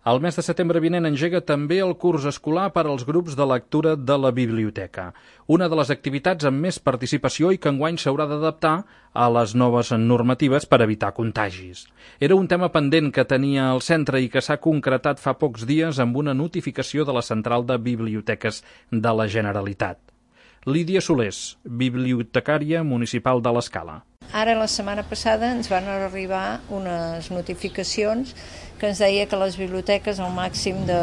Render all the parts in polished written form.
El mes de setembre vinent engega també el curs escolar per als grups de lectura de la biblioteca, una de les activitats amb més participació i que enguany s'haurà d'adaptar a les noves normatives per evitar contagis. Era un tema pendent que tenia el centre i que s'ha concretat fa pocs dies amb una notificació de la Central de Biblioteques de la Generalitat. Lídia Solés, bibliotecària municipal de l'Escala. Ara, la setmana passada, ens van arribar unes notificacions que ens deia que les biblioteques, el màxim de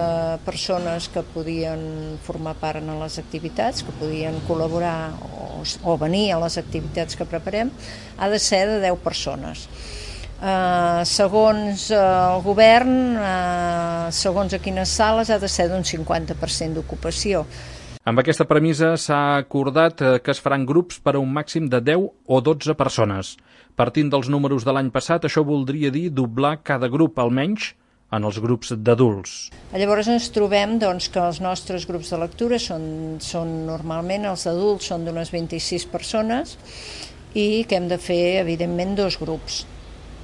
persones que podien formar part en les activitats, que podien col·laborar o venir a les activitats que preparem, ha de ser de 10 persones. Segons el govern, segons a quines sales, ha de ser d'un 50% d'ocupació. Amb aquesta premissa s'ha acordat que es faran grups per a un màxim de 10 o 12 persones. Partint dels números de l'any passat, això voldria dir doblar cada grup, almenys, en els grups d'adults. Llavors ens trobem que els nostres grups de lectura són normalment, els adults són d'unes 26 persones i que hem de fer, evidentment, 2 grups.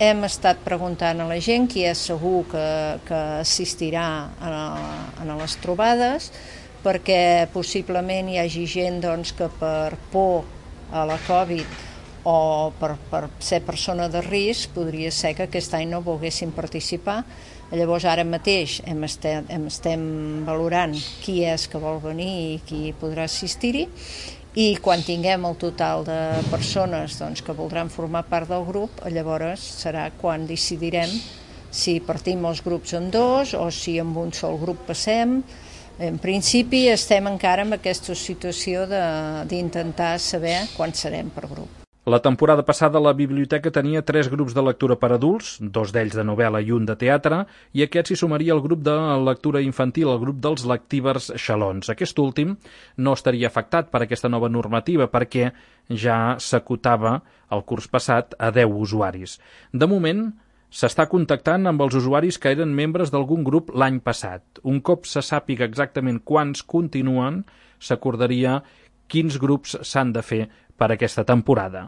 Hem estat preguntant a la gent qui és segur que assistirà a les trobades, perquè possiblement hi hagi gent que per por a la Covid o per ser persona de risc podria ser que aquest any no volguessin participar. Llavors ara mateix estem valorant qui és que vol venir i qui podrà assistir-hi, i quan tinguem el total de persones que voldran formar part del grup, llavors serà quan decidirem si partim els grups en 2 o si amb un sol grup passem. En principi estem encara en aquesta situació d'intentar saber quan serem per grup. La temporada passada la biblioteca tenia 3 grups de lectura per adults, 2 d'ells de novel·la i un de teatre, i aquest s'hi sumaria el grup de lectura infantil, el grup dels Lectivers Xalons. Aquest últim no estaria afectat per aquesta nova normativa perquè ja s'acotava el curs passat a 10 usuaris. De moment, s'està contactant amb els usuaris que eren membres d'algun grup l'any passat. Un cop se sàpiga exactament quants continuen, s'acordaria quins grups s'han de fer per aquesta temporada.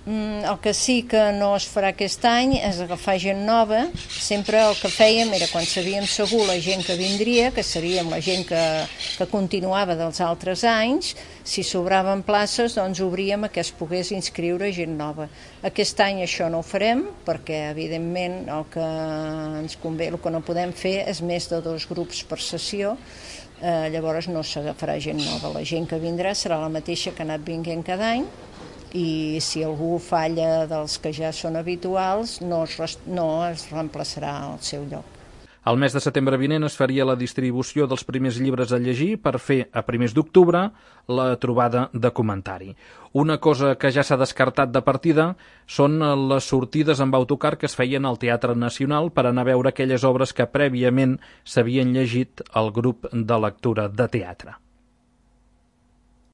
El que sí que no es farà aquest any és agafar gent nova. Sempre el que fèiem era, quan sabíem segur la gent que vindria, que seríem la gent que continuava dels altres anys, si sobraven places, obríem a que es pogués inscriure gent nova. Aquest any això no ho farem, perquè evidentment el que ens convé, el que no podem fer és més de 2 grups per sessió. Llavors no s'agafarà gent nova. La gent que vindrà serà la mateixa que ha anat vinguent cada any, i si algú falla dels que ja són habituals, no es reemplaçarà al seu lloc. Al mes de setembre vinent es faria la distribució dels primers llibres a llegir per fer, a primers d'octubre, la trobada de comentari. Una cosa que ja s'ha descartat de partida són les sortides amb autocar que es feien al Teatre Nacional per anar a veure aquelles obres que prèviament s'havien llegit al grup de lectura de teatre.